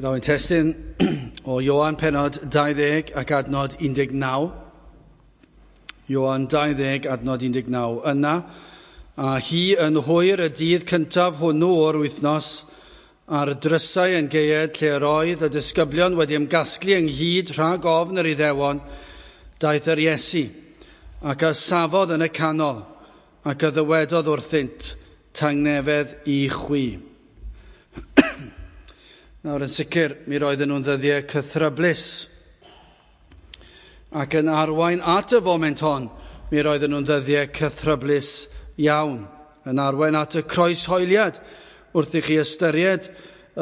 Byddaf yn testun o Ioan penod 20 ac adnod 19. Ioan 20 adnod 19. Yna, a hi yn hwyr y dydd cyntaf hwnnw o'r wythnos, a'r drysau yn gaead lle yr oedd y disgyblion wedi ymgasglu ynghyd rhag ofn yr Iddewon, daeth yr Iesu, ac a safodd yn y canol, ac a ddywedodd wrthynt, tangnefedd i chwi. Nawr yn sicr, mi roedden nhw'n ddyddiau cythryblus. Ac yn arwain at y foment hon, mi roedden nhw'n ddyddiau cythryblus iawn. Yn arwain at y croeshoeliad wrth i chi ystyried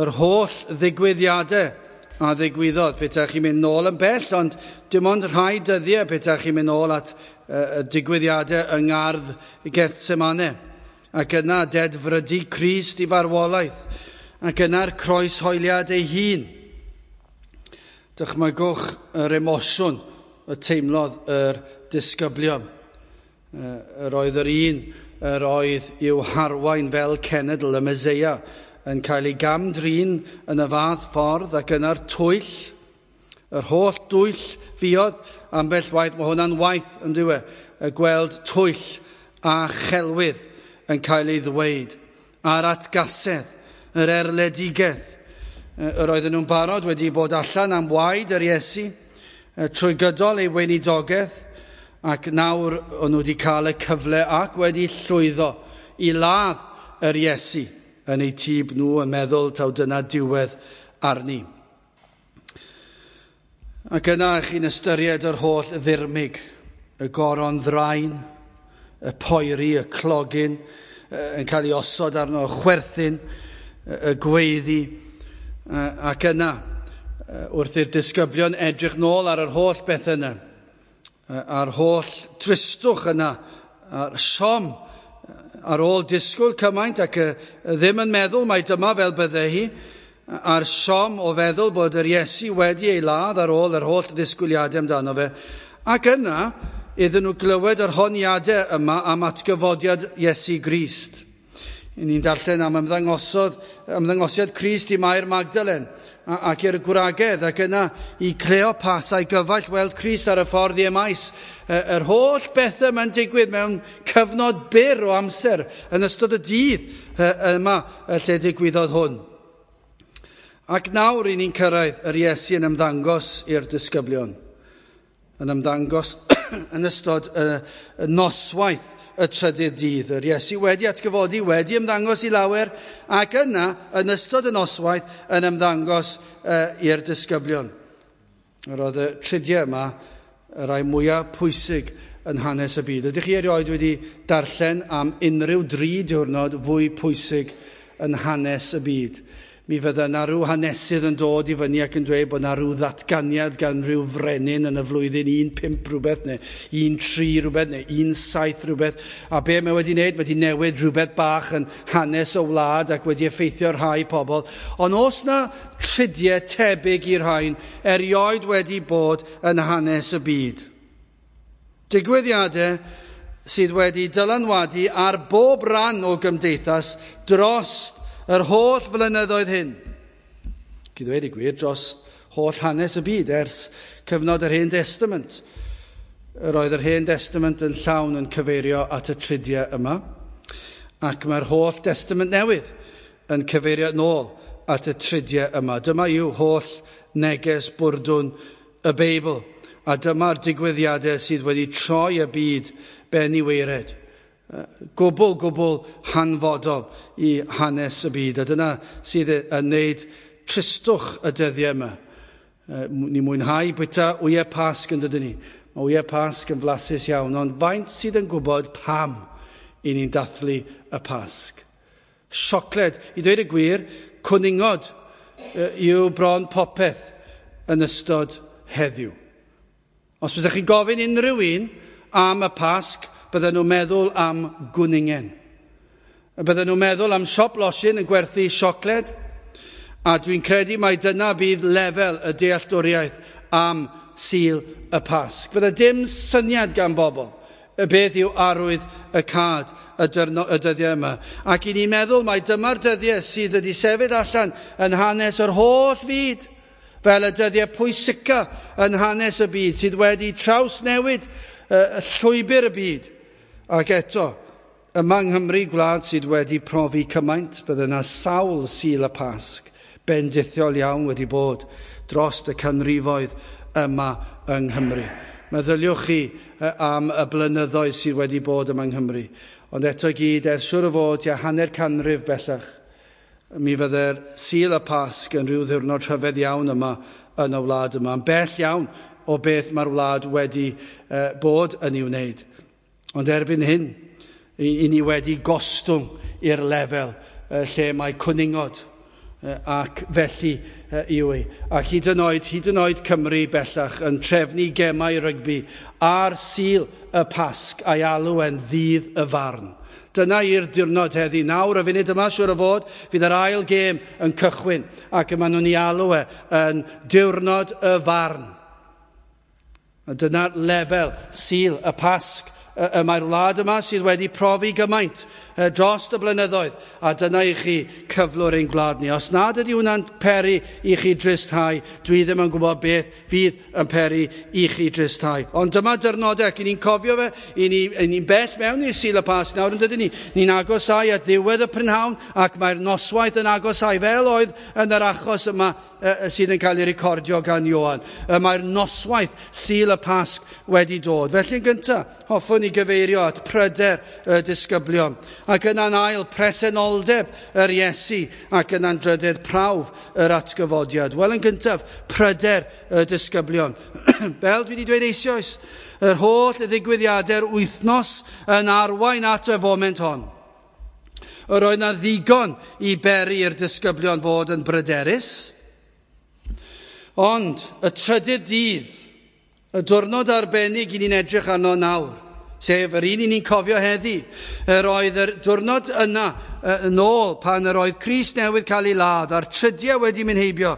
yr holl ddigwyddiadau a ddigwyddodd. Petaech chi'n mynd nôl yn bell, ond dim ond rhai dyddiau petaech chi'n mynd nôl at y digwyddiadau yng ngardd Gethsemane. Ac yna dedfrydu Crist i farwolaeth, ac yna'r croeshoeliad ei hun. Dychmygwch yr emosiwn y teimlodd yr disgyblion. Yr oedd yr un yr oedd i'w harwain fel cenedl y Meseia yn cael ei gam-drin yn y fath ffordd, ac yna'r twyll, yr holl dwyll fuodd, ambell waith, mae hwnna'n waith yn dyw e, y gweld twyll a chelwydd yn cael ei ddweud, a'r atgasedd, yr erledigaeth. Yr oedden nhw'n barod wedi bod allan am waed yr Iesu trwy gydol ei weinidogaeth, ac nawr o'n nhw wedi cael y cyfle ac wedi llwyddo i ladd yr Iesu yn eu tîb nhw yn meddwl taw dyna diwedd arni. Ac yna chi'n ystyried yr holl ddirmyg, y goron ddrain, y poeri, y clogyn yn cael ei osod arno, y chwerthin, y gweiddi, ac yna, wrth i'r disgyblion edrych nôl ar yr holl beth yna, a'r holl tristwch yna, a'r siom, ar ôl disgwyl cymaint ac ddim yn meddwl mai dyma fel bydde hi, a'r siom o feddwl bod yr Iesu wedi ei ladd ar ôl yr holl ddisgwyliadau amdano fe, ac yna iddyn nhw glywed yr honiadau yma am atgyfodiad Iesu Grist. Ni'n darllen am ymddangosiad Crist i Mair Magdalen ac i'r gwragedd, ac yna i Cleopas a'i gyfaill weld Crist ar y ffordd i Emaus. Yr holl bethau mae'n digwydd mewn cyfnod byr o amser yn ystod y dydd yma lle digwyddodd hwn. Ac nawr i ni'n cyrraedd yr Iesu yn ymddangos i'r disgyblion. Yn ymddangos yn ystod y noswaith y trydydd dydd. Yr Iesu wedi atgyfodi, wedi ymddangos i lawer, ac yna, yn ystod y noswaith, yn ymddangos i'r disgyblion. Yr oedd y tridiau yma y rhai mwyaf pwysig yn hanes y byd. Ydych chi erioed wedi darllen am unrhyw dri diwrnod fwy pwysig yn hanes y byd? Mi fydda yna rhyw hanesydd yn dod i fyny ac yn dweud bod yna rhyw ddatganiad gan rhyw frenin yn y flwyddyn 1.5 rhywbeth neu 1.3 rhywbeth neu 1.7 rhywbeth. A be mae wedi wneud? Wedi newid rhywbeth bach yn hanes y wlad ac wedi effeithio rhai pobl. Ond oes na tridiau tebyg i'r rhain erioed wedi bod yn hanes y byd? Digwyddiadau sydd wedi dylanwadu ar bob rhan o gymdeithas dros yr holl flynyddoedd hyn. Ac i ddweud y gwir, dros holl hanes y byd ers cyfnod yr Hen Testament. Yr oedd yr Hen Testament yn llawn yn cyfeirio at y tridiau yma, ac mae'r holl Testament newydd yn cyfeirio nôl at y tridiau yma. Dyma yw holl neges bwrdwn y Beibl, a dyma'r digwyddiadau sydd wedi troi y byd ben i waered. Gwbl, gwbl hanfodol i hanes y byd. A dyna sydd yn wneud tristwch y dyddiau yma. Ni mwynhau bwyta wyau Pasg yn dydyn ni. Mae wyau Pasg yn flasus iawn, ond faint sydd yn gwybod pam i ni'n dathlu y Pasg? Siocled, i ddweud y gwir, cwningod yw bron popeth yn ystod heddiw. Os byddech chi'n gofyn unrhyw un am y Pasg, bydden nhw'n meddwl am gwningen. Bydden nhw'n meddwl am siop losin yn gwerthu siocled, a dwi'n credu mai dyna bydd lefel y dealltwriaeth am Sul y Pasg. Bydde dim syniad gan bobl Beth yw arwydd y cad y dyddiau yma? Ac i ni'n meddwl mai dyma'r dyddiau sydd wedi sefyll allan yn hanes yr holl fyd, fel y dyddiau pwysica yn hanes y byd, sydd wedi trawsnewid y llwybr y byd. Ac eto, yma yng Nghymru, gwlad sydd wedi profi cymaint, bydde yna sawl Sul y Pasg bendithiol iawn wedi bod dros y canrifoedd yma yng Nghymru. Meddyliwch chi am y blynyddoedd sydd wedi bod yma yng Nghymru. Ond eto i gyd, ers siŵr o fod tua hanner canrif bellach, mi fydde'r Sul y Pasg yn rhyw ddiwrnod rhyfedd iawn yma yn y wlad yma. Yn bell iawn o beth mae'r wlad wedi bod yn ei wneud. Ond erbyn hyn, i ni wedi gostwng i'r lefel lle mae cwningod ac felly yw e. Ac hyd yn oed Cymru bellach yn trefnu gemau rygbi ar Sul y Pasg a'i alw e'n ddydd y farn. Dyna i'r diwrnod heddi. Nawr, y funud yma, siŵr o fod, fydd yr ail gêm yn cychwyn ac maen nhw'n ei alw e yn diwrnod y farn. A dyna'r lefel Sul y Pasg y mae'r wlad yma sydd wedi profi gymaint dros y blynyddoedd, a dyna i chi cyflwr ein gwlad ni. Os nad ydy hwnna'n peri i chi dristhau, dwi ddim yn gwybod beth fydd yn peri i chi dristhau. Ond dyma dyrnodau, ac i ni'n cofio fe, i ni'n bell mewn i'r Sul y Pasg nawr, yn dydyn ni. Ni'n agosau at ddiwedd y prynhawn, ac mae'r noswaith yn agosau, fel oedd yn yr achos yma sydd yn cael ei recordio gan Ioan. Mae'r noswaith Sul y Pasg wedi dod. Felly yn gyntaf, hoffwn i gyfeirio at pryder y disgyblion, ac yna'n ail presenoldeb yr Iesu, ac yna'n drydydd prawf yr atgyfodiad. Wel, yn gyntaf, pryder y disgyblion. Fel dwi wedi dweud eisoes, yr holl ddigwyddiadau'r wythnos yn arwain at y foment hon. Yr oedd na ddigon i beri i'r disgyblion fod yn bryderus, ond y trydydd dydd, y diwrnod arbennig i ni'n edrych arno nawr, sef yr un i ni'n cofio heddi, yr oedd yr diwrnod yna yn ôl pan yr oedd Crist newydd cael ei ladd a'r trydiau wedi mynd heibio,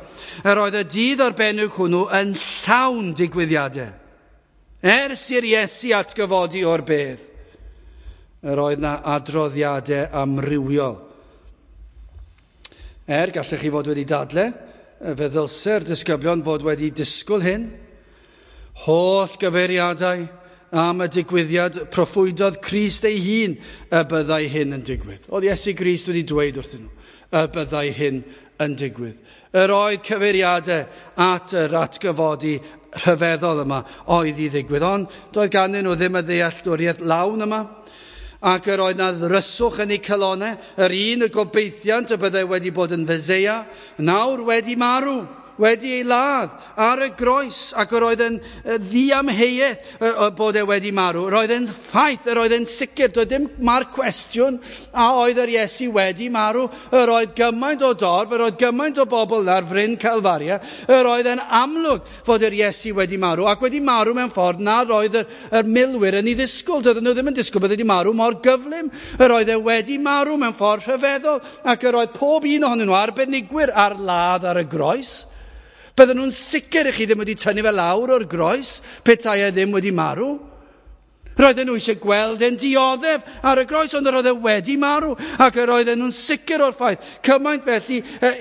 yr oedd y dydd arbennig hwnnw yn llawn digwyddiadau. Ers i'r Iesu atgyfodi o'r bedd, yr oedd na adroddiadau amrywiol. Gallech chi fod wedi dadle, fe ddylse'r disgyblion fod wedi disgwyl hyn, holl gyfeiriadau am y digwyddiad proffwydodd Crist ei hun y byddai hyn yn digwydd. Oedd Iesu Grist wedi dweud wrthyn nhw y byddai hyn yn digwydd. Yr oedd cyfeiriadau at yr atgyfodi rhyfeddol yma oedd i ddigwydd, ond doedd ganddyn nhw ddim y ddealltwriaeth lawn yma, ac yr oedd na ddryswch yn eu calonnau, yr un y gobeithiant y byddai wedi bod yn Feseia, nawr wedi marw, wedi ei ladd ar y groes, ac yr oedd yn ddiamheuaeth bod e wedi marw. Yr oedd yn ffaith, yr oedd yn sicr, doedd dim ma'r cwestiwn a oedd yr Iesu wedi marw. Yr oedd gymaint o dorf, yr oedd gymaint o bobl ar fryn Calfaria, yr oedd yn amlwg fod yr Iesu wedi marw, ac wedi marw mewn ffordd nad oedd yr milwyr yn ei ddisgwyl. Doedden nhw ddim yn disgwyl bod wedi marw mor gyflym. Yr oedd e wedi marw mewn ffordd rhyfeddol, ac yr oedd pob un ohonyn nhw arbenigwyr ar ladd ar y groes. Bydden nhw'n sicr i chi ddim wedi tynnu fe lawr o'r groes petai e ddim wedi marw. Roedden nhw eisiau gweld e'n dioddef ar y groes, ond yr oedd e wedi marw, ac yr oedden nhw'n sicr o'r ffaith. Cymaint felly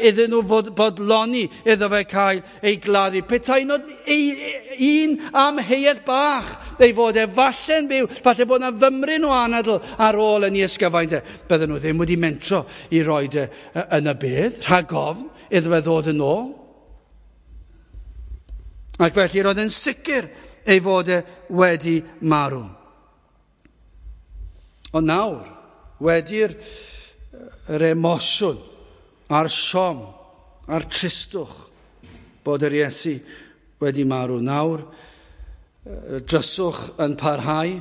iddyn nhw fod bodloni iddo fe cael ei gladdu. Petai nod un amheuaeth bach ei fod e falle'n byw, falle bod yna fymryn o anadl ar ôl yn ei ysgyfaint e. Bydden nhw ddim wedi mentro i roed e yn y bedd, rhag ofn iddo fe ddod yn ôl. Ac felly roedd yn sicr ei fod e wedi marw. Ond nawr, wedi'r yr emosiwn a'r siom a'r tristwch bod yr Iesu wedi marw, nawr y dryswch yn parhau.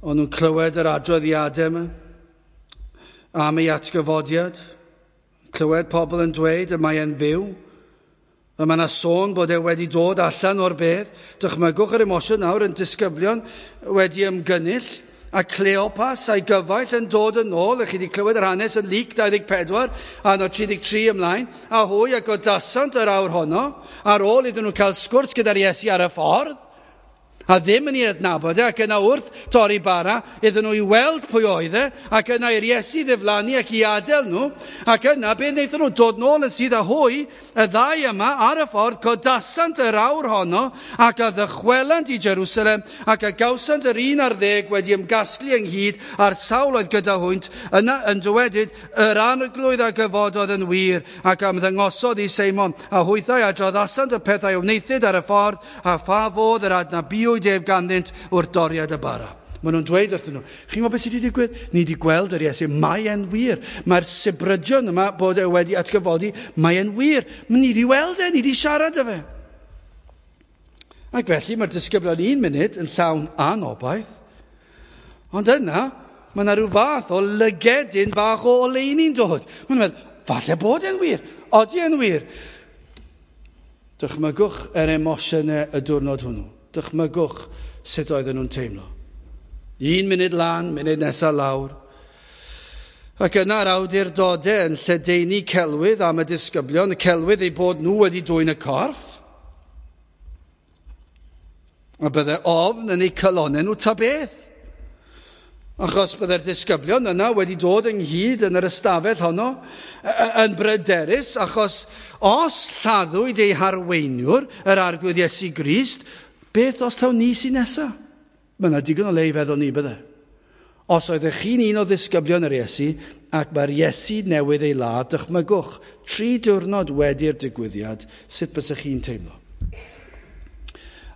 O'n nhw'n clywed yr adroddiadau yma am ei atgyfodiad, clywed pobl yn dweud y mae e'n fyw, y mae yna sôn bod e wedi dod allan o'r bedd. Dychmygwch yr emosiwn nawr yn disgyblion wedi ymgynnull, a Cleopas a'i gyfaill yn dod yn ôl. Ych chi wedi clywed yr hanes yn Luc 24 a no 33 ymlaen, a hwy a godasant yr awr honno, ar ôl iddyn nhw cael sgwrs gyda'r Iesu ar y ffordd. A ddim yn ei adnabod e, ac yna wrth torri bara, iddyn nhw i weld pwy oedd e, ac yna i'r Iesu ddiflannu ac i adael nhw, ac yna be wnaethon nhw dod nôl yn sydd â hwy, y ddau yma ar y ffordd, codasant yr awr honno, ac a ddychwelant i Jerusalem, ac a gawsant yr 11 wedi ymgasglu ynghyd a'r sawl oedd gyda hwynt, yna yn dywedyd, yr arglwydd a gyfododd yn wir, ac ymddangosodd i Seimon, a hwythau adroddasant y pethau a wnaethid ar y ffordd, a pha fodd yr adnabuwyd ef ganddynt wrth doriad y bara. Maen nhw'n dweud wrthyn nhw, chi'n gwybod beth sydd wedi digwydd? Ni wedi gweld yr Iesu, mae e'n wir. Mae'r sibrydion yma bod e wedi atgyfodi, mae e'n wir. Ni wedi weld e, ni wedi siarad â fe. Ac felly mae'r disgyblion un munud yn llawn anobaith, ond yna mae yna rhyw fath o lygedyn bach o oleuni'n dod. Maen nhw'n meddwl, falle bod e'n wir, odi e'n wir. Dychmygwch yr emosiynau y diwrnod hwnnw. Dychmygwch sut oedden nhw'n teimlo. Un munud lan, munud nesaf lawr. Ac yna'r awdurdodau yn lledaenu celwydd am y disgyblion, y celwydd eu bod nhw wedi dwyn y corff. A bydde ofn yn eu calonnau nhw ta beth. Achos bydde'r disgyblion yna wedi dod ynghyd yn yr ystafell honno yn bryderus, achos os lladdwyd eu harweiniwr, yr Arglwydd Iesu Grist, beth os taw ni sy'n nesaf? Mae yna digon o le i feddwl ni, bydde. Os oeddech chi'n un o ddisgyblion yr Iesu, ac mae'r Iesu newydd ei ladd, dychmygwch, 3 diwrnod wedi'r digwyddiad, sut bysech chi'n teimlo?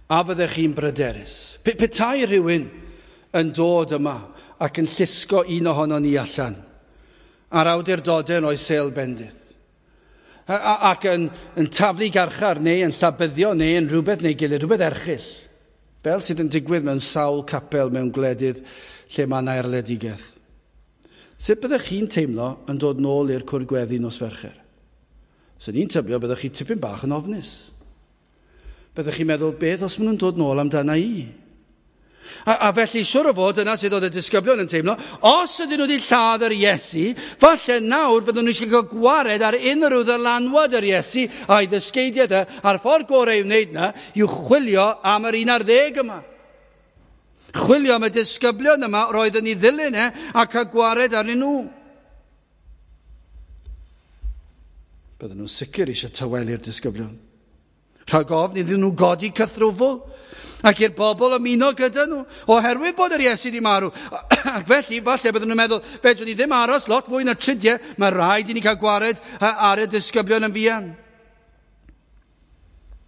A fyddech chi'n bryderus? Petai rhywun yn dod yma ac yn llusgo un ohono ni allan, a'r awdurdodau yn oes sêl bendith, ac yn taflu garchar neu yn llabyddio neu yn rhywbeth neu gilydd, rhywbeth erchyll, fel sydd yn digwydd mewn sawl capel mewn gwledydd lle mae yna erledigaeth. Sut byddech chi'n teimlo yn dod nôl i'r cwrdd gweddi nos Fercher? Swn i'n tybio byddech chi tipyn bach yn ofnus. Byddech chi'n meddwl, beth os maen nhw'n dod nôl amdana i? A felly, siwr o fod, yna sydd oedd y disgyblion yn teimlo, os ydyn nhw wedi lladd yr Iesu, falle nawr fyddwn nhw eisiau cael gwared ar unrhyw ddylanwad yr Iesu a'i ddysgeidiaeth e, a'r ffordd gorau i'w wneud yna yw chwilio am yr 11 yma. Chwilio am y disgyblion yma roedd yn ei ddilyn e a cael gwared arnyn nhw. Bydden nhw'n sicr eisiau tawelu'r disgyblion. Rhag ofn iddyn nhw godi cythrwfl ac i'r bobl ymuno gyda nhw, oherwydd bod yr Iesu wedi marw. Ac felly, falle bydden nhw'n meddwl, fedrwn ni ddim aros lot fwy na tridiau, mae rhaid i ni cael gwared ar y disgyblion yn fuan.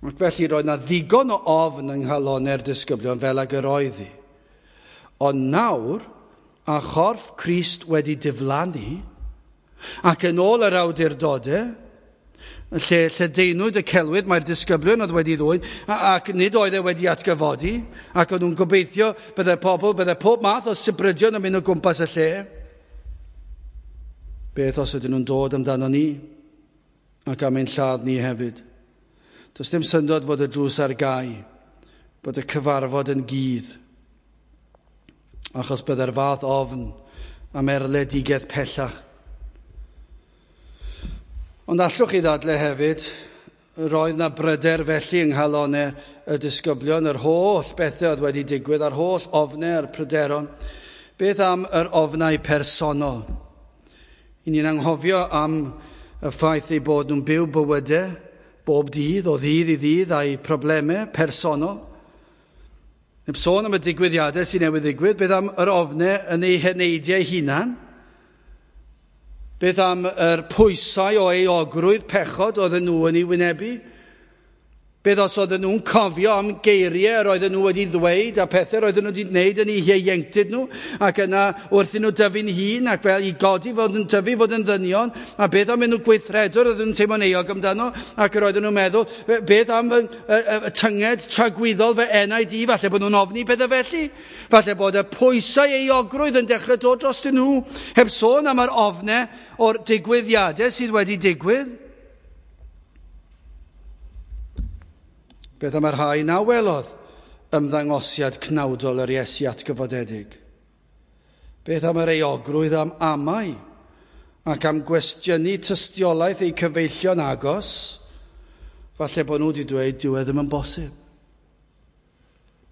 Ac felly roedd na ddigon o ofn yng nghalonnau'r disgyblion fel ag yr oedd hi. Ond nawr, a chorff Crist wedi diflannu, ac yn ôl yr awdurdodau, lle lledaenwyd y celwydd mae'r disgyblion oedd wedi ddwyn, ac nid oedd e wedi atgyfodi, ac o'n nhw'n gobeithio bydde pobl, bydde pob math o sibrydion yn mynd o gwmpas y lle. Beth os ydyn nhw'n dod amdano ni, ac am ein lladd ni hefyd? Does dim syndod fod y drws ar gau, bod y cyfarfod yn gudd, achos bydde'r fath ofn am erledigaeth pellach. Ond allwch chi ddadle hefyd, roedd na bryder felly yng nghalonnau y disgyblion, yr holl bethau oedd wedi digwydd, a'r holl ofnau a'r pryderon. Beth am yr ofnau personol? I ni'n anghofio am y ffaith eu bod nhw'n byw bywydau bob dydd, o ddydd i ddydd, a'u problemau personol. Heb sôn am y digwyddiadau sy'n newydd ddigwydd, beth am yr ofnau yn eu heneidiau hunan? Beth am yr pwysau o euogrwydd pechod oedden nhw yn ei wynebu? Beth os oedden nhw'n cofio am geiriau yr oedden nhw wedi ddweud a pethau roedden nhw wedi gwneud yn eu hieuenctid nhw, ac yna wrth i nhw dyfu'n hun ac fel i godi fod yn tyfu fod yn ddynion, a beth am nhw gweithredwr oedden nhw'n teimlo'n euog amdano, ac yr oedden nhw'n meddwl, beth am y tynged tragwyddol fy enaid i, falle bod nhw'n ofni pethau felly, falle bod y pwysau euogrwydd yn dechrau dod drostyn nhw, heb sôn am yr ofnau o'r digwyddiadau sydd wedi digwydd. Beth am yr rhai na welodd ymddangosiad cnawdol yr Iesu atgyfodedig? Beth am yr euogrwydd am amau ac am gwestiynu tystiolaeth eu cyfeillion agos? Falle bod nhw wedi dweud, dyw e ddim yn bosib.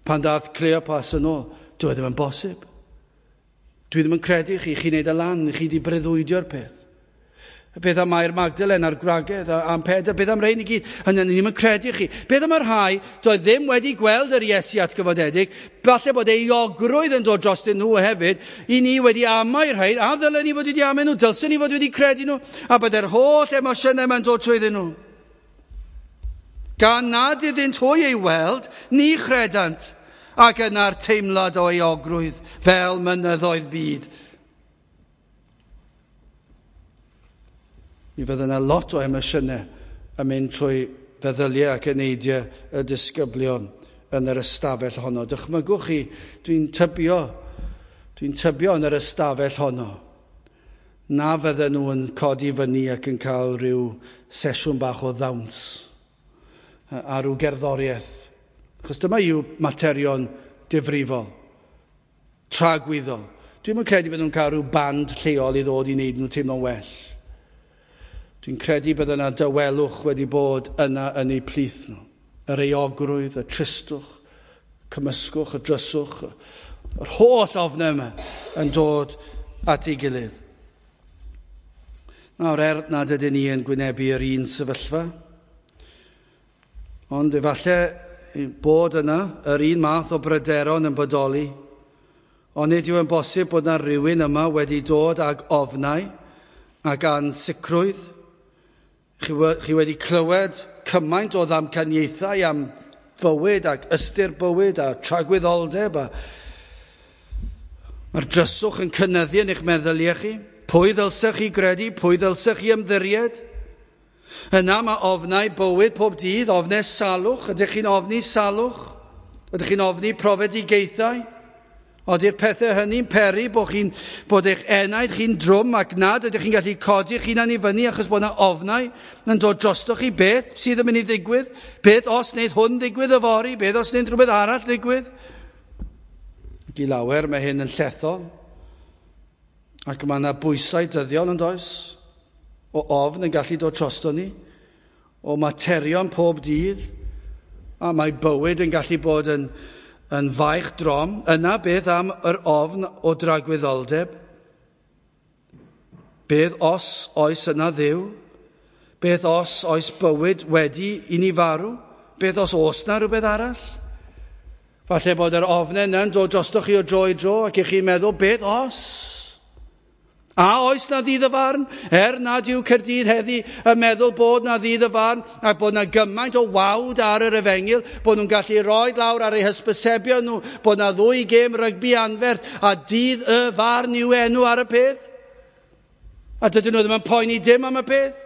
Pan dath Cleopas yn ôl, dwi e ddim yn bosib. Dwi ddim yn credu chi, chi'n neud y lan, chi wedi breuddwydio'r peth. Beth am Mair Magdalen a'r gwragedd am Pedr, beth am rhain i gyd? Hynny, ni ddim yn credu chi. Beth am y rhai doedd ddim wedi gweld yr Iesu atgyfodedig, falle bod euogrwydd yn dod drostyn nhw hefyd, i ni wedi amau rhain, a ddylen ni fod wedi amau nhw, dylsen ni fod wedi credu nhw, a bod yr holl emosiynau yma'n dod trwyddyn nhw. Gan nad iddynt hwy ei weld, ni chredant, ac yna'r teimlad o euogrwydd fel mynyddoedd byd. Mi fydde yna lot o emosiynau yn mynd trwy feddyliau ac eneidiau y disgyblion yn yr ystafell honno. Dychmygwch chi, dwi'n tybio yn yr ystafell honno, na fydden nhw yn codi fyny ac yn cael rhyw sesiwn bach o ddawns a rhyw gerddoriaeth. Achos dyma yw materion difrifol, tragwyddol. Dwi'm yn credu bod nhw'n cael rhyw band lleol i ddod i wneud nhw teimlo'n well. Dwi'n credu bod yna dawelwch wedi bod yna yn eu plith nhw. Yr euogrwydd, y tristwch, cymysgwch, y dryswch, yr holl ofnau yma yn dod at ei gilydd. Nawr, er nad ydyn ni yn gwynebu yr un sefyllfa, ond efallai bod yna yr un math o bryderon yn bodoli, ond nid yw yn bosib bod yna rhywun yma wedi dod ag ofnau ac ansicrwydd. Chi wedi clywed cymaint o ddamcaniaethau am fywyd ac ystyr bywyd a tragwyddoldeb. A mae'r dryswch yn cynyddu yn eich meddyliau chi. Pwy ddylsech chi gredu? Pwy ddylsech chi ymddiried? Yna mae ofnau bywyd pob dydd, ofnau salwch. Ydych chi'n ofni salwch? Ydych chi'n ofni profedigaethau? Oeddi'r pethau hynny'n peri bod eich enaid chi'n drwm ac nad ydych chi'n gallu codi eich hunan i fyny achos bod yna ofnau yn dod drostoch chi beth sydd yn mynd i ddigwydd? Beth os wneud hwn ddigwydd yfory? Beth os wneud rhywbeth arall ddigwydd? Ac i lawer mae hyn yn llethol. Ac mae yna bwysau dyddiol yn does? O ofn yn gallu dod drosto ni, o materion pob dydd, a mae bywyd yn gallu bod yn faich drom. Yna beth am yr ofn o dragwyddoldeb? Beth os oes yna Dduw? Beth os oes bywyd wedi i ni farw? Beth os oes na rhywbeth arall? Falle bod yr ofnau yna'n dod drostoch chi o dro i dro ac i chi'n meddwl, beth os? A oes na ddydd y farn? Er nad yw Caerdydd heddi yn meddwl bod na ddydd y farn ac bod na gymaint o wawd ar yr efengyl, bod nhw'n gallu rhoi lawr ar eu hysbysebion nhw, bod na ddwy gêm rygbi anferth a dydd y farn yw enw ar y peth. A dydyn nhw ddim yn poeni dim am y peth.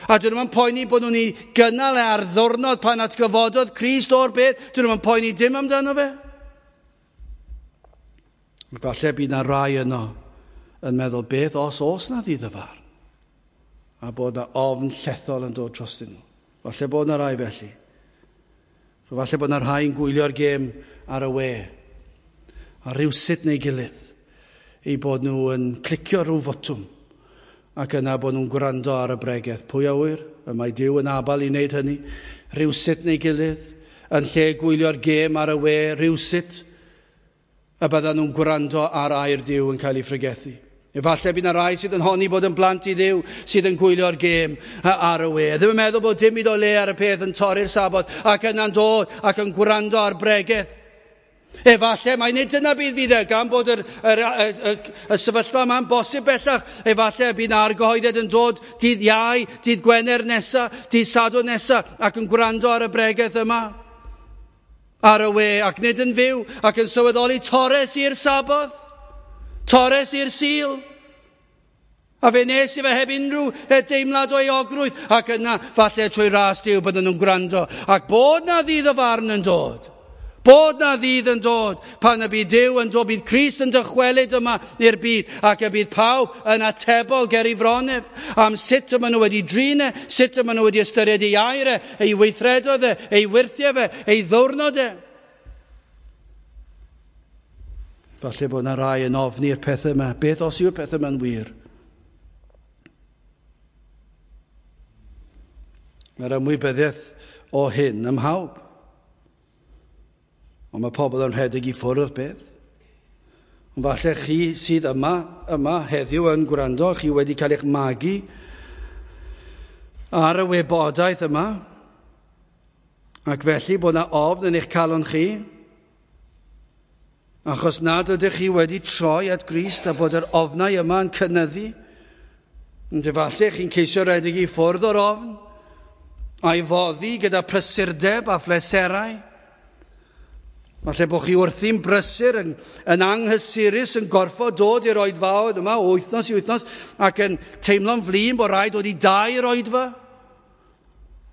A dydyn nhw'n poeni bod nhw'n ei gynnal ar ddwrnod pan atgyfododd Crist o'r beth. Dydyn nhw'n poeni dim amdano fe. Falle bydd na rai yno yn meddwl beth os oes na ddydd y farn, a bod na ofn llethol yn dod drostyn nhw. Falle bod na rai felly. Falle bod na rhai yn gwylio'r gêm ar y we, a rhywsut neu gilydd, eu bod nhw yn clicio rhyw fotwm, ac yna bod nhw'n gwrando ar y bregeth. Pwy a ŵyr? Y mae Duw yn abal i wneud hynny. Rhywsut neu gilydd, yn lle gwylio'r gêm ar y we, rhywsut, y byddan nhw'n gwrando ar air Duw yn cael ei phregethu. Efallai bydd yna rai sydd yn honni bod yn blant i Dduw sydd yn gwylio'r gêm ar y we. Ddim yn meddwl bod dim byd o le ar y peth yn torri'r Sabbath ac yna'n dod ac yn gwrando ar bregeth. Efallai mai nid dyna bydd fydd e, gan bod y sefyllfa yma'n bosib bellach. Efallai bydd yna argyhoeddiad yn dod dydd Iau, dydd Gwener nesa, dydd Sadwrn nesa ac yn gwrando ar y bregeth yma ar y we ac nid yn fyw ac yn sylweddoli torres i'r Sabbath, torres i'r Sul. A fe nes i fe heb unrhyw deimlad o euogrwydd ac yna falle trwy ras Duw bydden nhw'n gwrando ac bod na ddydd o farn yn dod. Bod na ddydd yn dod pan y bydd Duw yn dod, bydd Crist yn dychwelyd yma i'r byd ac y bydd pawb yn atebol ger ei fronef am sut y maen nhw wedi drin e, sut y maen nhw wedi ystyried ei air e, ei weithredoedd e, ei wyrthiau fe, ei ddiwrnod e. Falle bod yna rai yn ofni'r pethau yma. Beth os yw'r pethau yma'n wir? Mae'r ymwybyddiaeth o hyn ym mhawb. Ond mae pobl yn rhedeg i ffwrdd o'r beth. Ond falle chi sydd yma heddiw yn gwrando, chi wedi cael eich magu ar y wybodaeth yma, ac felly bod yna ofn yn eich calon chi, achos nad ydych chi wedi troi at Grist a bod yr ofnau yma yn cynyddu. Ond efallai chi'n ceisio rhedeg i ffwrdd o'r ofn, a'i foddi gyda prysurdeb a phleserau. Falle bod chi wrthi'n brysur, yn anghysurus, yn gorfod dod i'r oedfaoedd yma o wythnos i wythnos ac yn teimlo'n flin bod rhaid dod i dair oedfa.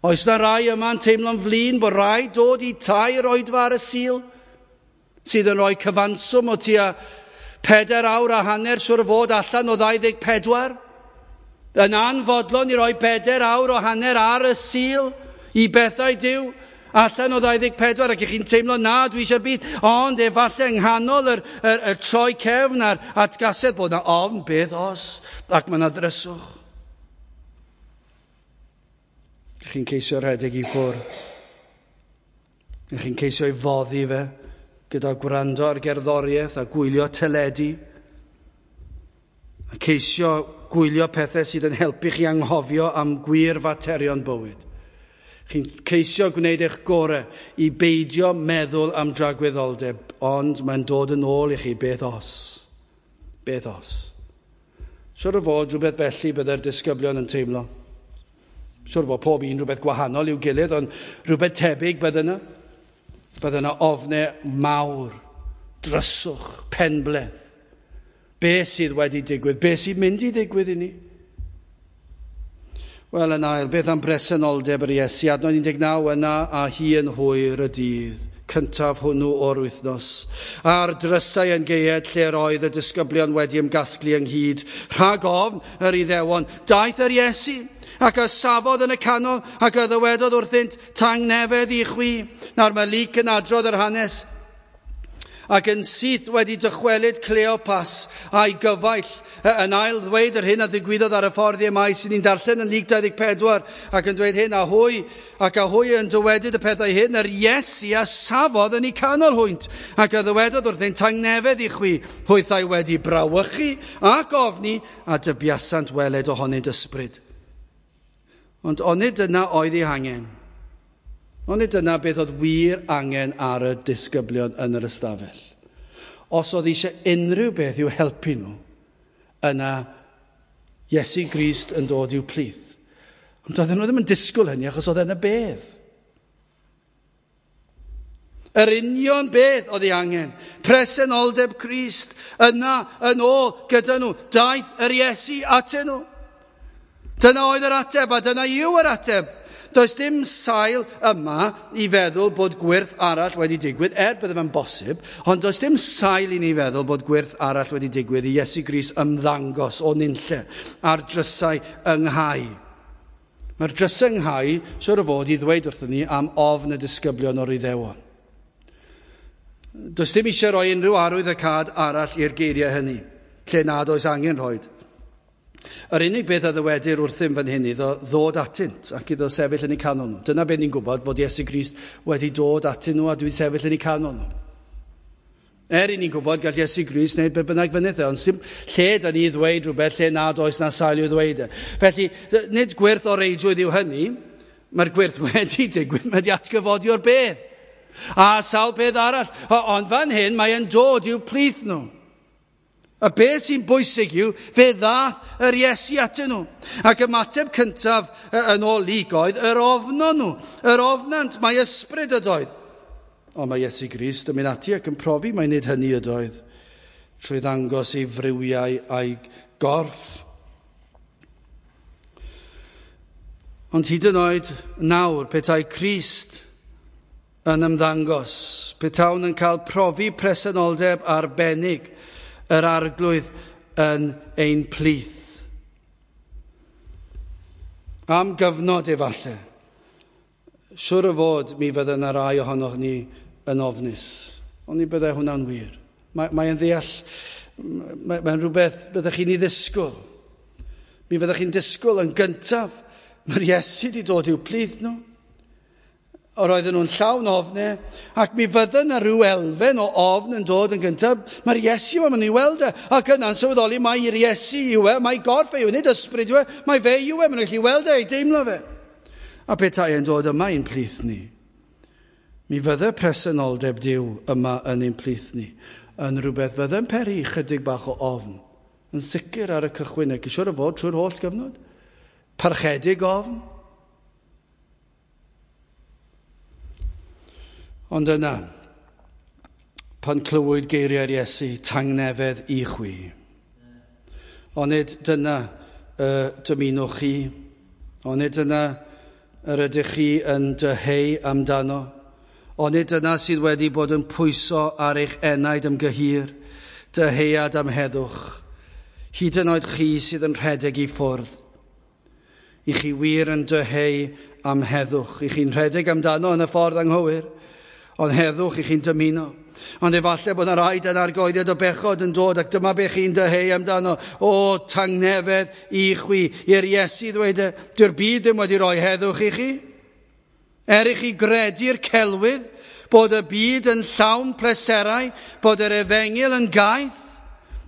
Oes na rai yma'n teimlo'n flin bod rhaid dod i tair oedfa ar y Sul, sydd yn rhoi cyfanswm o tua 4 awr a hanner siwr o fod allan o 24? Yn anfodlon i roi 4 awr o hanner ar y Sul i bethau Duw, allan o 24, ac ych chi'n teimlo na, dwi eisiau'r byd, ond efallai yng nghanol y troi cefn a'r atgasedd bod yna ofn, beth os, ac mae yna ddryswch. Chi'n ceisio rhedeg i ffwrdd. Chi'n ceisio i foddi fe gyda gwrando ar gerddoriaeth a gwylio teledu. A ceisio gwylio pethau sydd yn helpu chi anghofio am gwir faterion bywyd. Chi'n ceisio gwneud eich gorau i beidio meddwl am dragwyddoldeb, ond mae'n dod yn ôl i chi beth os. Beth os. Siwr o fod rhywbeth felly byddai'r disgyblion yn teimlo. Siwr o fod pob un rhywbeth gwahanol i'w gilydd, ond rhywbeth tebyg bydde yna. Bydde yna ofnau mawr, dryswch, penbleth. Be sydd wedi digwydd? Be sy'n mynd i ddigwydd i ni? Wel, yn ail, beth am bresenoldeb yr Iesu? Adnod 19 yna a hi yn hwyr y dydd cyntaf hwnnw o'r wythnos. A'r drysau yn gaead lle'r oedd y disgyblion wedi ymgasglu ynghyd. Rhag ofn yr Iddewon, daeth yr Iesu ac y safodd yn y canol ac y ddywedodd wrthynt, tangnefedd i chwi. Nawr mae Luc yn adrodd yr hanes. Ac yn syth wedi dychwelyd Cleopas a'i gyfaill yn ail ddweud yr hyn a ddigwyddodd ar y ffordd i Emaus sy'n ni'n darllen yn Luc 24 ac yn dweud hyn, a hwy yn dywedyd y pethau hyn, yr Iesu a safodd yn eu canol hwynt ac a ddywedodd wrthynt, tangnefedd i chwi, hwythau wedi brawychu ac ofni a dybiasant weled ohonynt ysbryd. Ond onid dyna oedd ei hangen? Onid dyna beth oedd wir angen ar y disgyblion yn yr ystafell? Os oedd eisiau unrhyw beth i'w helpu nhw, yna Iesu Grist yn dod i'w plith. Ond oedden nhw ddim yn disgwyl hynny achos oedd yna bedd. Yr union beth oedd ei angen. Presenoldeb Crist yna yn ôl gyda nhw. Daeth yr Iesu atyn nhw. Dyna oedd yr ateb a dyna yw yr ateb. Does dim sail yma i feddwl bod gwyrth arall wedi digwydd, bydde fe'n bosib, ond does dim sail i ni feddwl bod gwyrth arall wedi digwydd i Iesu Grist ymddangos o nunlle a'r drysau ynghau. Mae'r drysau ynghau, siwr o fod, i ddweud wrthyn ni am ofn y disgyblion o'r Iddewon. Does dim eisiau rhoi unrhyw arwydd y cad arall i'r geiriau hynny, lle nad oes angen rhoed. Yr unig beth a ddywedir wrthym fan hyn iddo ddod atynt ac iddo sefyll yn eu canol nhw. Dyna beth ni'n gwybod, fod Iesu Grist wedi dod atyn nhw a dwi'n sefyll yn eu canol nhw. I ni'n gwybod gall Iesu Grist wneud beth bynnag fynydd e, ond lle da ni ddweud rhywbeth lle nad oes na sail i'w ddweud e. Felly, nid gwyrth o reidrwydd yw hynny, mae'r gwyrth wedi digwydd, mae wedi atgyfodi o'r bedd. A sawl peth arall, ond fan hyn mae'n dod i'w plith nhw. A beth sy'n bwysig yw, fe ddath yr Iesu atyn nhw. Ac ymateb cyntaf yn ôl Luc oedd, yr ofnon nhw, yr ofnant, mae ysbryd ydoedd. Ond mae Iesu Grist yn mynd ati ac yn profi mai nid hynny ydoedd, trwy ddangos ei friwiau a'i gorff. Ond hyd yn oed nawr, petai Crist yn ymddangos, petawn yn cael profi presenoldeb arbennig yr arglwydd yn ein plith. Am gyfnod efallai, siwr o fod mi fydde yna rai ohonoch ni yn ofnus. Ond ni byddai hwnna'n wir. Mae'n ddeall, mae'n rhywbeth byddech chi'n ei ddisgwyl. Mi fyddech chi'n disgwyl yn gyntaf. Mae'r Iesu wedi dod i'w plith nhw. Yr oedden nhw'n llawn ofnau, ac mi fydde yna rhyw elfen o ofn yn dod yn gyntaf. Mae'r Iesu yma, maen nhw'n weld e, ac yna'n sylweddoli mai'r Iesu yw e, mai gorff e yw e, nid ysbryd yw e, mai fe yw e, maen nhw'n gallu weld e, ei deimlo fe. A petai e'n dod yma i'n plith ni, mi fydde presenoldeb Duw yma yn ein plith ni, yn rhywbeth fydde'n peri chydig bach o ofn, yn sicr ar y cychwyn, ac siŵr o fod trwy'r holl gyfnod. Parchedig ofn. Ond yna, pan clywyd geiriau'r Iesu, tangnefedd i chwi. Onid dyna y dymunwch chi, onid dyna yr ydych chi yn dyheu amdano, onid dyna sydd wedi bod yn pwyso ar eich enaid am gyhir, dyheuad am heddwch, hyd yn oed chi sydd yn rhedeg i ffwrdd. I chi wir yn dyheu am heddwch, i chi'n rhedeg amdano yn y ffordd anghywir, ond heddwch i chi'n dymuno. Ond efallai bod yna rai dan argoediad o bechod yn dod ac dyma be chi'n dyheu amdano. O, tangnefedd i chwi. I'r Iesu ddweud, dyw'r byd ddim wedi rhoi heddwch i chi. Er i chi gredu'r celwydd bod y byd yn llawn pleserau, bod yr efengyl yn gaeth,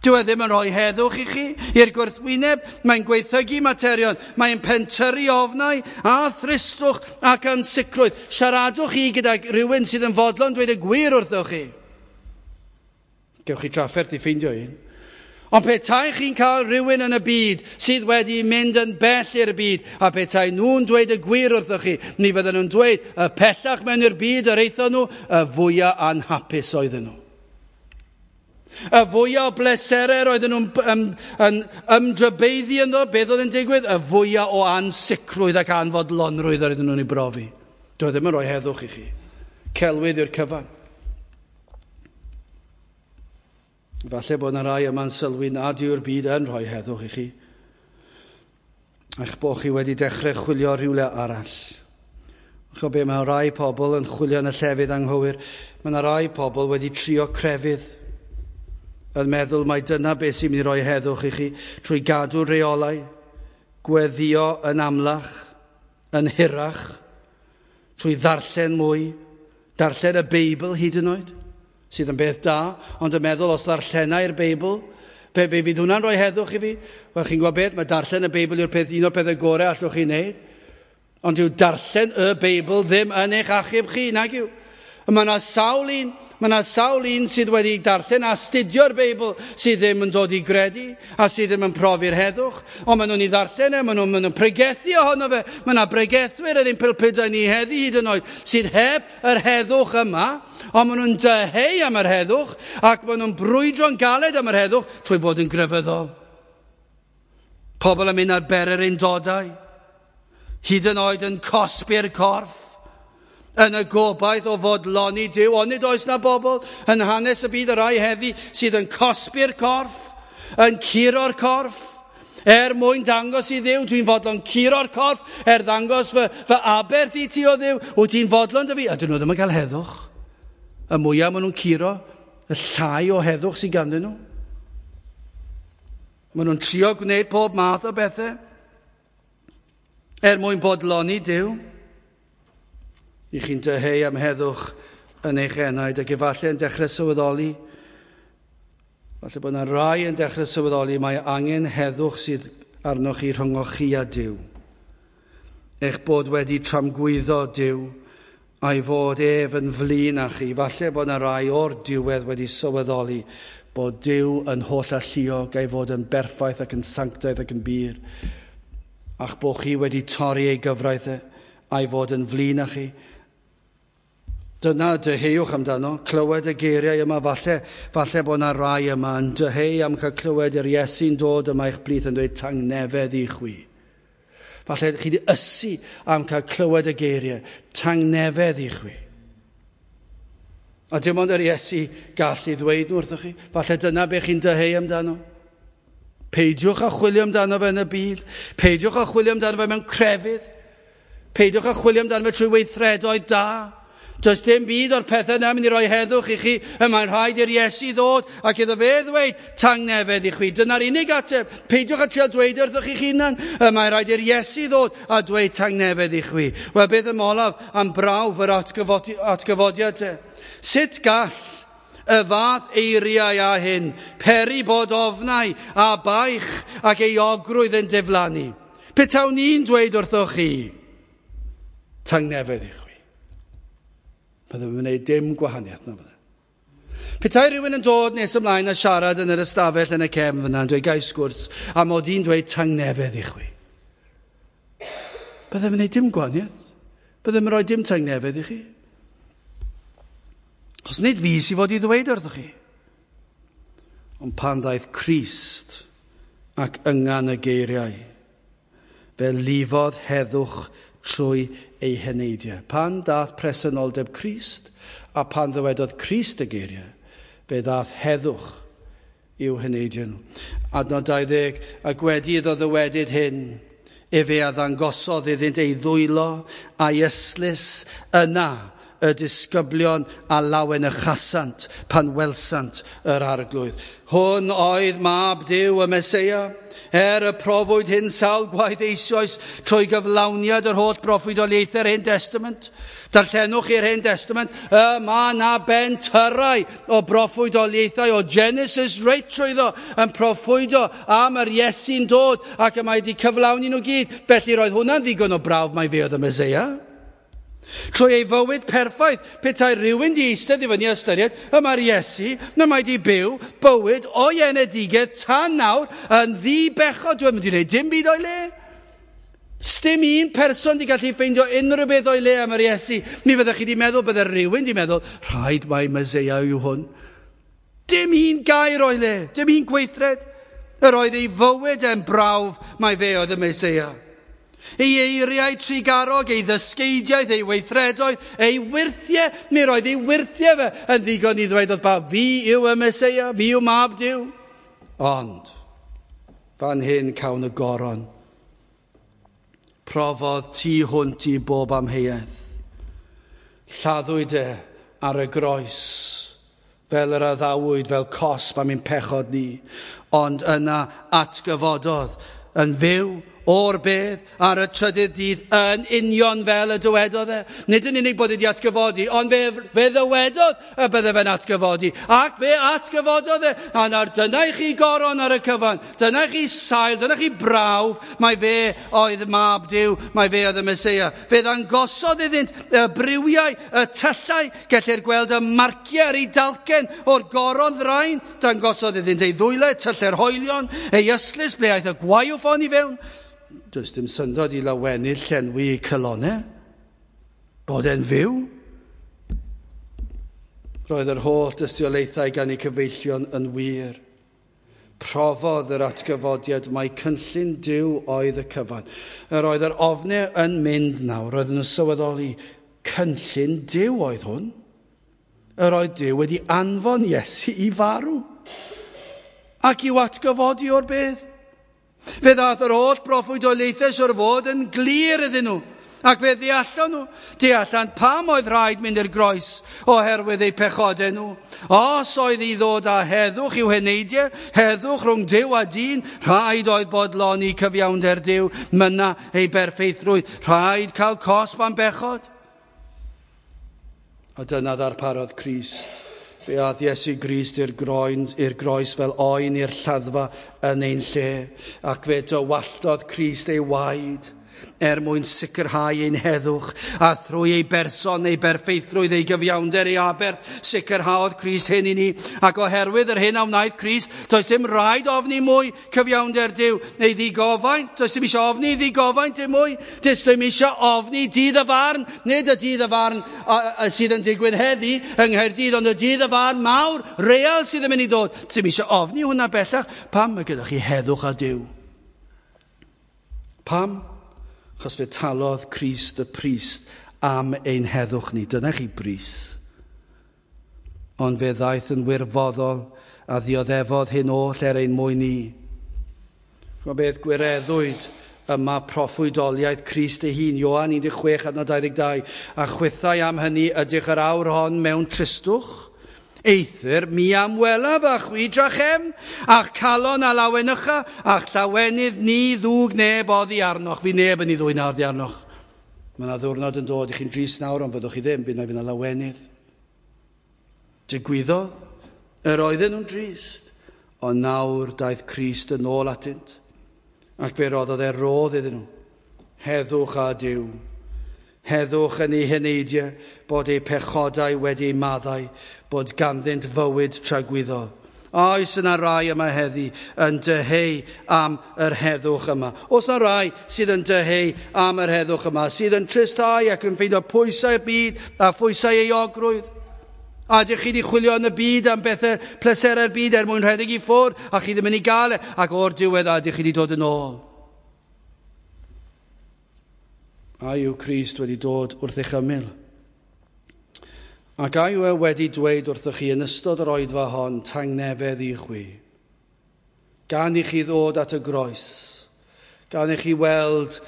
dyw e ddim yn rhoi heddwch i chi. I'r gwrthwyneb, mae'n gweithygu materion, mae'n pentyrru ofnau a thristwch ac ansicrwydd. Siaradwch chi gyda rhywun sydd yn fodlon dweud y gwir wrthoch chi. Gewch chi trafferth i ffeindio un. Ond petai chi'n cael rhywun yn y byd sydd wedi mynd yn bell i'r byd, a petai nhw'n dweud y gwir wrthoch chi, mi fydden nhw'n dweud y pellach mewn i'r byd yr aethon nhw, y fwyaf anhapus oedden nhw. Y fwyaf o bleserau roedden nhw'n ymdrybeiddi ynddo, beth oedd yn digwydd? Y fwyaf o ansicrwydd ac anfodlonrwydd oedden nhw'n ei brofi. Doedd ddim yn rhoi heddwch i chi. Celwydd yw'r cyfan. Falle bod yna rai yma'n sylwi nad yw'r byd yn rhoi heddwch i chi, a'ch bod chi wedi dechrau chwilio rhywle arall. Ch'o be, mae rai pobl yn chwilio yn y llefydd anghywir. Mae yna rai pobl wedi trio crefydd, yn meddwl mai dyna beth sy'n mynd i roi heddwch i chi, trwy gadw reolau, gweddio yn amlach, yn hirach, trwy ddarllen mwy, darllen y Beibl hyd yn oed, sydd yn beth da, ond yn meddwl os ddarllenai'r Beibl, fe fydd hwnna'n rhoi heddwch i fi. Wel, chi'n gwybod beth, mae darllen y Beibl yw'r peth, un o'r pethau gorau allwch chi wneud. Ond yw darllen y Beibl ddim yn eich achub chi, nag yw. Mae yna sawl un sydd wedi darllen a astudio'r Beibl sydd ddim yn dod i gredu a sydd ddim yn profi'r heddwch. Ond maen nhw'n ei ddarllen e, maen nhw'n pregethu ohono fe. Mae yna bregethwyr yn ein pulpudau ni heddi hyd yn oed sydd heb yr heddwch yma, ond maen nhw'n dyheu am yr heddwch ac maen nhw'n brwydro'n galed am yr heddwch trwy fod yn grefyddol. Pobl yn mynd ar bererindodau, hyd yn oed yn cosbi'r corff, yn y gobaith o fodloni Duw. Ond nid oes na bobl yn hanes y byd y rai heddi sydd yn cosbi'r corff, yn curo'r corff, er mwyn dangos i Dduw, dwi'n fodlon curo'r corff, er ddangos fy aberth i ti o Dduw, wyt ti'n fodlon dy fi? A dyn nhw ddim yn cael heddwch. Y mwyaf maen nhw'n curo, y llai o heddwch sydd ganddyn nhw. Maen nhw'n trio gwneud pob math o bethau er mwyn bodloni Duw. I chi'n dyheu am heddwch yn eich enaid ac efallai yn dechrau sylweddoli, falle bod yna rai yn dechrau sylweddoli mae angen heddwch sydd arnoch chi rhyngoch chi a Duw. Eich bod wedi tramgwyddo Duw a'i fod ef yn flin â chi. Falle bod yna rai o'r diwedd wedi sylweddoli bod Duw yn holl alluog a'i fod yn berffaith ac yn sanctaidd ac yn bur, a'ch bod chi wedi torri ei gyfraith e a'i fod yn flin â chi. Dyna dyheuwch amdano, clywed y geiriau yma, falle bod yna rai yma yn dyheu am cael clywed yr Iesu'n dod yma eich plith yn dweud tangnefedd i chwi. Falle chi wedi ysu am cael clywed y geiriau, tangnefedd i chwi. A dim ond yr Iesu gallu ddweud nhw wrthoch chi, falle dyna be chi'n dyheu amdano. Peidiwch â chwilio amdano fe yn y byd, peidiwch â chwilio amdano fe mewn crefydd, peidiwch â chwilio amdano fe trwy weithredoedd da. Does dim byd o'r pethau yna mynd i roi heddwch i chi. Y mae'n rhaid i'r Iesu ddod ac iddo fe ddweud tangnefedd i chwi. Dyna'r unig ateb. Peidiwch â trio dweud wrthych chi'ch hunan. Y mae'n rhaid i'r Iesu ddod a dweud tangnefedd i chwi. Wel, beth am olaf am brawf yr atgyfodiad te? Sut gall y fath eiriau â hyn peri bod ofnau a baich ac euogrwydd yn diflannu? Petawn i'n dweud wrthoch chi tangnefedd i chwi. Byddwn yn gwneud dim gwahaniaeth na fydde. Petai rhywun yn dod nes ymlaen a siarad yn yr ystafell yn y cefn fyna yn dweud gai sgwrs a mod i'n dweud tangnefedd i chwi. Byddwn yn gwneud dim gwahaniaeth. Byddwn yn rhoi dim tangnefedd i chi. Os nid fi sydd fod i ddweud wrthych chi. Ond pan ddaeth Crist ac yngan y geiriau, fe lifodd heddwch trwy ei heneidiau. Pan dath presenoldeb Crist a pan ddywedodd Crist y geiriau, fe ddath heddwch i'w heneidiau nhw. Adnod 20, ac wedi iddo ddywedyd hyn, efe a ddangosodd iddynt ei ddwylo a'i ystlys, yna y disgyblion a lawenychasant pan welsant yr Arglwydd. Hwn oedd mab Duw y Meseia, er y profwyd hyn sawl gwaith eisoes trwy gyflawniad yr holl broffwydoliaethau'r Hen Testament. Darllenwch i'r Hen Testament, y mae na bentyrrau o broffwydoliaethau o Genesis reit trwyddo yn proffwydo am yr Iesu'n dod ac y mae wedi cyflawni nhw gyd. Felly roedd hwnna'n ddigon o brawf mai fe oedd y Meseia. Trwy ei fywyd perffaith, petai rhywun di eistedd i fyny a ystyried, y mae'r Iesu, na mae di byw bywyd o'i enedigedd tan nawr yn ddi-bechod. Dwi'n mynd i wneud dim byd o'i le. Sdim un person di gallu ffeindio unrhyw beth o'i le am yr Iesu. Mi fyddech chi di meddwl, bydde rhywun di meddwl, rhaid mai Meseia yw hwn. Dim un gair o'i le, dim un gweithred. Yr oedd ei fywyd yn brawf mai fe oedd y Meseia. Ei eiriau trugarog, ei ddysgeidiaeth, ei weithredoedd, ei wyrthiau, mi roedd ei wyrthiau fe yn ddigon i ddweud wrth bawb, fi yw y Meseia, fi yw mab Duw. Ond, fan hyn cawn y goron. Profodd tu hwnt i bob amheuaeth. Lladdwyd e ar y groes, fel yr addawyd, fel cosb am ein pechod ni. Ond yna atgyfododd yn fyw o'r bedd ar y trydydd dydd yn union fel y dywedodd e. Nid yn unig bod wedi atgyfodi, ond fe ddywedodd y bydde fe'n atgyfodi. Ac fe atgyfododd e. A nawr dyna i chi goron ar y cyfan. Dyna i chi sail, dyna i chi brawf. Mai fe oedd mab Duw, mai fe oedd y Meseia. Fe ddangosodd iddynt y briwiau, y tyllau. Gellir gweld y marciau ar ei dalcen o'r goron ddrain. Dangosodd iddynt ei ddwylau, tylau'r hoelion, ei ystlys, ble aeth y gwaywffon i fewn. Does dim syndod i lawenydd llenwi eu calonnau, bod e'n fyw. Roedd yr holl dystiolaethau gan eu cyfeillion yn wir. Profodd yr atgyfodiad mai cynllun Duw oedd y cyfan. Yr oedd yr ofnau yn mynd nawr, roedd nhw'n sylweddoli cynllun Duw oedd hwn. Yr oedd Duw wedi anfon Iesu i farw ac i'w atgyfodi o'r bedd. Fe ddaeth yr holl broffwydoliaethau siwr fod yn glir iddyn nhw, ac fe ddeallon nhw. Deallan pam oedd rhaid mynd i'r groes oherwydd eu pechodau nhw. Os oedd i ddod â heddwch i'w heneidiau, heddwch rhwng Duw a dyn, rhaid oedd bodloni cyfiawnder Duw, mynna ei berffeithrwydd, rhaid cael cosb am bechod. A dyna ddarparodd Crist. Fe aeth Iesu Grist i'r groes fel oen i'r lladdfa yn ein lle, ac fe dywalltodd Crist ei waed er mwyn sicrhau ein heddwch, a thrwy ei berson, ei berffeithrwydd, ei gyfiawnder, ei aberth, sicrhaodd Crist hyn i ni. Ac oherwydd yr hyn a wnaeth Crist, does dim rhaid ofni mwy cyfiawnder Duw, neu ddigofaint, does dim eisiau ofni ddigofaint dim mwy, does dim eisiau ofni dydd y farn, nid y dydd y farn sydd yn digwydd heddi yng Nghaerdydd, ond y dydd y farn mawr, real sydd yn mynd i ddod. Does dim eisiau ofni hwnna bellach. Pam mae gyda chi heddwch a Duw? Pam? Achos fe talodd Crist y pris am ein heddwch ni. Dyna chi bris. Ond fe ddaeth yn wirfoddol a ddioddefodd hyn oll er ein mwyn ni. Ch'mod beth, gwireddwyd Yma proffwydoliaeth Crist ei hun, Ioan 16 adnod 22, a chwithau am hynny ydych yr awr hon mewn tristwch? Eithr mi am welaf a chwi drachefn, a'ch calon a lawenycha, a'ch llawenydd ni ddwg neb oddi arnoch. Fi neb yn ei ddwyn oddi arnoch. Mae yna ddiwrnod yn dod i chi'n drist nawr, ond fyddwch chi ddim, fydd yna lawenydd. Digwyddodd, yr oedden nhw'n drist, ond nawr daeth Crist yn ôl atynt, ac fe roddodd e rodd iddyn nhw. Heddwch a Duw. Heddwch yn eu heneidiau, bod eu pechodau wedi eu maddau, bod ganddynt fywyd tragwyddol. Oes yna rai yma heddi yn dyheu am yr heddwch yma? Oes yna rai sydd yn dyheu am yr heddwch yma, sydd yn tristau ac yn ffeindio pwysau'r byd a phwysau euogrwydd? A ydych chi wedi chwilio yn y byd am bethau pleserau'r byd er mwyn rhedeg i ffwrdd, a chi ddim yn ei gael e, ac o'r diwedd a ydych chi wedi dod yn ôl? A yw Crist wedi dod wrth eich ymyl? Ac a yw e wedi dweud wrthych chi yn ystod yr oedfa hon, tangnefedd i chwi? Gan i chi ddod at y groes, gan i chi weld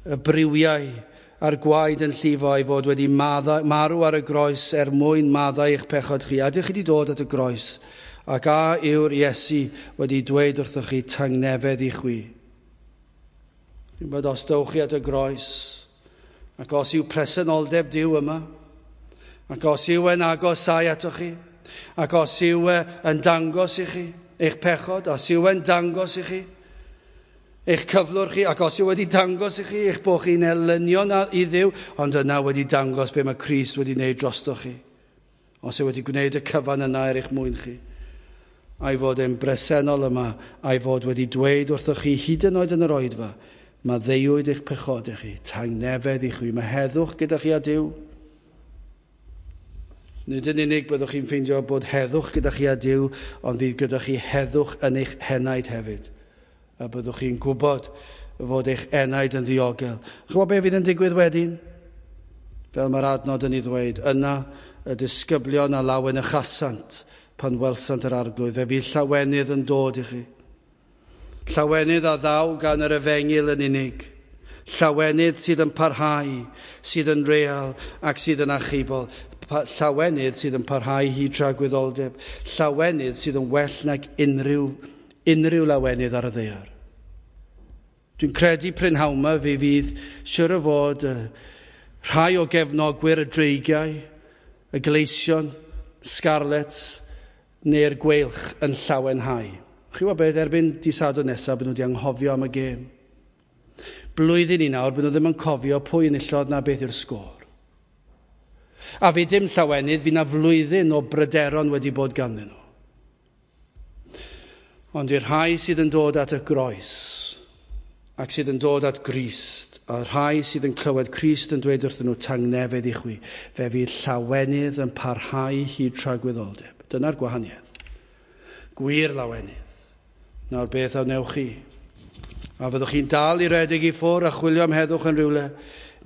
y briwiau a'r gwaed yn llifo ei fod wedi marw ar y groes er mwyn maddau eich pechod chi. A ydych chi wedi dod at y groes, ac a yw'r Iesu wedi dweud wrthych chi tangnefedd i chwi? Dwi'n bod os dewch chi at y groes, ac os yw presenoldeb Duw yma, ac os yw e'n agosau atoch chi, ac os yw e yn dangos i chi eich pechod, os yw e'n dangos i chi eich cyflwr chi, ac os yw wedi dangos i chi eich bod chi'n elynion i Dduw, ond yna wedi dangos be mae Crist wedi wneud drostoch chi. Os yw wedi gwneud y cyfan yna er eich mwyn chi, a'i fod e'n bresennol yma, a'i fod wedi dweud wrthoch chi hyd yn oed yn yr oedfa, maddeuwyd eich pechodau chi, tangnefedd i chwi, mae heddwch gyda chi a Duw. Nid yn unig byddwch chi'n ffeindio bod heddwch gyda chi a Duw, ond fydd gyda chi heddwch yn eich henaid hefyd. A byddwch chi'n gwybod fod eich enaid yn ddiogel. Chymod be fydd yn digwydd wedyn? Fel mae'r adnod yn ei ddweud, yna y disgyblion a lawenychasant pan welsant yr arglwydd. Fe fydd llawenydd yn dod i chi. Llawenydd a ddaw gan yr efengyl yn unig. Llawenydd sydd yn parhau, sydd yn real ac sydd yn achubol. Llawenydd sydd yn parhau hyd tragwyddoldeb. Llawenydd sydd yn well nag unrhyw lawenydd ar y ddaear. Dwi'n credu prynhawn 'ma fe fydd siwr o fod rhai o gefnogwyr y dreigiau, y gleision, Scarlets neu'r gweilch yn llawenhau. Chi wybod beth, erbyn dydd Sadwrn nesaf, bydden nhw wedi anghofio am y gêm. Blwyddyn i nawr, bydden nhw ddim yn cofio pwy enillodd na beth yw'r sgôr. A fi dim llawenydd, fi na flwyddyn o bryderon wedi bod ganddyn nhw. Ond i'r rhai sydd yn dod at y groes, ac sydd yn dod at Grist, a'r rhai sydd yn clywed Crist yn dweud wrthyn nhw tangnefedd i chwi, fe fydd llawenydd yn parhau hyd tragwyddoldeb. Dyna'r gwahaniaeth. Gwir lawenydd. Nawr beth a wnewch chi? A fyddwch chi'n dal i redeg i ffwrdd a chwilio am heddwch yn rhywle,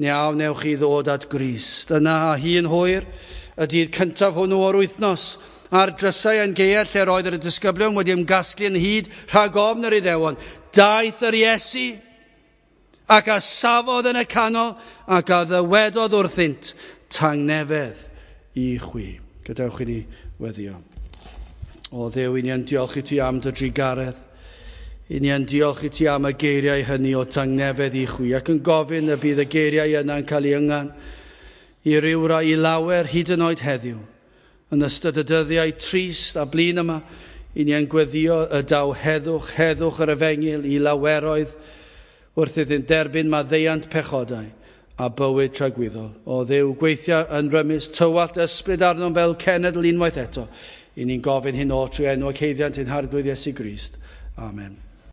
neu a wnewch chi ddod at Grist? Yna a hi'n hwyr, y dydd cyntaf hwnnw o'r wythnos, a'r drysau yn geuell lle roedd yr disgyblion wedi ymgasglu yn hyd rhag ofn yr Iddewon, daeth yr Iesu ac a safodd yn y canol ac a ddywedodd wrthynt, tangnefedd i chwi. Gadewch i ni weddio. O Dduw, i ni yn diolch i ti am dy drugaredd. I ni yn diolch i ti am y geiriau hynny o tangnefedd i chwi, ac yn gofyn y bydd y geiriau yna'n cael ei yngan i rywrai i lawer hyd yn oed heddiw. Yn ystod y dyddiau trist a blin yma, i ni yn gweddio y daw heddwch, heddwch yr efengyl i laweroedd wrth iddynt derbyn maddeuant pechodau a bywyd tragwyddol. O Dduw, gweithio yn rymus, tywallt ysbryd arnom fel cenedl unwaith eto. I ni'n gofyn hyn o trwy enw ac haeddiant ein Harglwydd Iesu Grist. Amen.